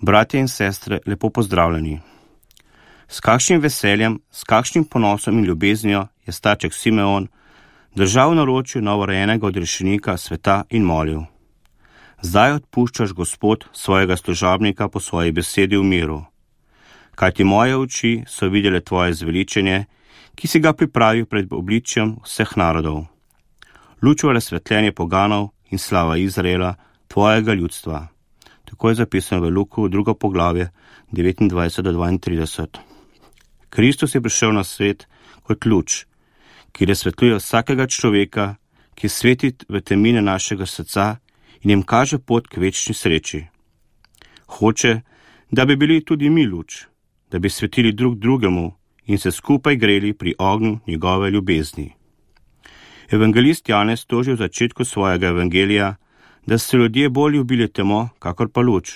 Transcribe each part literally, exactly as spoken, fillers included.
Bratje in sestre, lepo pozdravljeni. S kakšnim veseljem, s kakšnim ponosom in ljubeznijo je starček Simeon držal v naročju novorojenega odrešenika sveta in molil: Zdaj odpuščaš, Gospod, svojega služabnika po svoji besedi v miru. Kajti moje oči so videle tvoje zveličenje, ki si ga pripravil pred obličjem vseh narodov. Luč v razsvetljenje poganov in slava Izraela, tvojega ljudstva. Tako je zapisano v Luku, drugo poglavje, devetindvajset do dvaintrideset. Kristus je prišel na svet kot luč, ki razsvetljuje vsakega človeka, ki sveti v temine našega srca in jim kaže pot k večni sreči. Hoče, da bi bili tudi mi luč, da bi svetili drug drugemu in se skupaj greli pri ognju njegove ljubezni. Evangelist Janez toži v začetku svojega evangelija, da so ljudje bolj ljubili temo, kakor pa luč,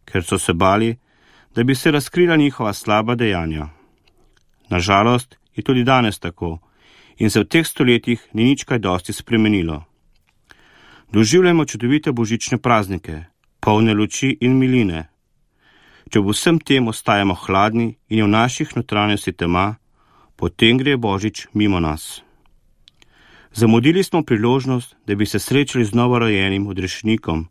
ker so se bali, da bi se razkrila njihova slaba dejanja. Nažalost je tudi danes tako in se v teh stoletjih ni nič kaj dosti spremenilo. Doživljamo čudovite božične praznike, polne luči in miline. Če v vsem tem ostajamo hladni in je v naših notranjosti tema, potem gre Božič mimo nas. Zamudili smo priložnost, da bi se srečali z novorojenim odrešenikom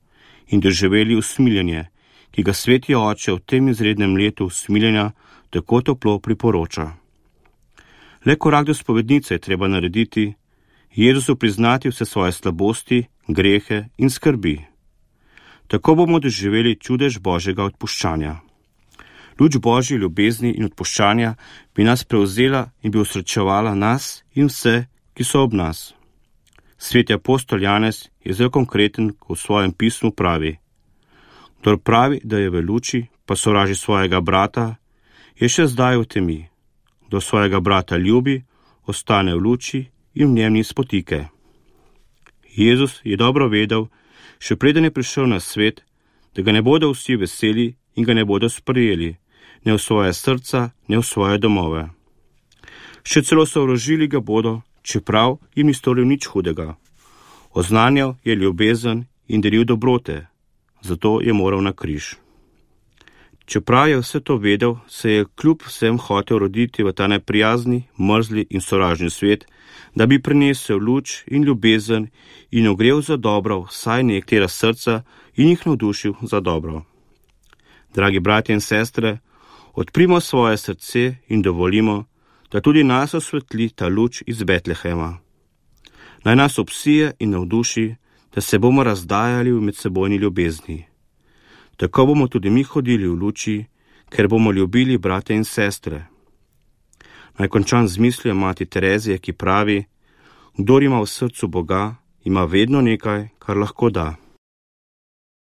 in doživeli usmiljenje, ki ga sveti oče v tem izrednem letu usmiljenja tako toplo priporoča. Le korak do spovednice je treba narediti, Jezusu priznati vse svoje slabosti, grehe in skrbi. Tako bomo doživeli čudež Božjega odpuščanja. Luč Božje ljubezni in odpuščanja bi nas prevzela in bi osrečevala nas in vse, ki so ob nas. Sveti apostol Janez je zelo konkreten, ko v svojem pismu pravi: Kdor pravi, da je v luči, pa sovraži svojega brata, je še zdaj v temi. Kdor svojega brata ljubi, ostane v luči in v njem ni spotike. Jezus je dobro vedel, še preden je prišel na svet, da ga ne bodo vsi veseli in ga ne bodo sprejeli, ne v svoje srca, ne v svoje domove. Še celo sovražili ga bodo, čeprav jim ni storil nič hudega. Oznanjal je ljubezen in delil dobrote, zato je moral na križ. Čeprav je vse to vedel, se je kljub vsem hotel roditi v ta neprijazni, mrzli in sovražni svet, da bi prinesel luč in ljubezen in ogrel za dobro vsaj nekatera srca in jih navdušil za dobro. Dragi bratje in sestre, odprimo svoje srce in dovolimo, da tudi nas osvetli ta luč iz Betlehema. Naj nas obsije in navduši, da se bomo razdajali v medsebojni ljubezni. Tako bomo tudi mi hodili v luči, ker bomo ljubili brate in sestre. Naj končam z mislijo mati Terezije, ki pravi: Kdor ima v srcu Boga, ima vedno nekaj, kar lahko da.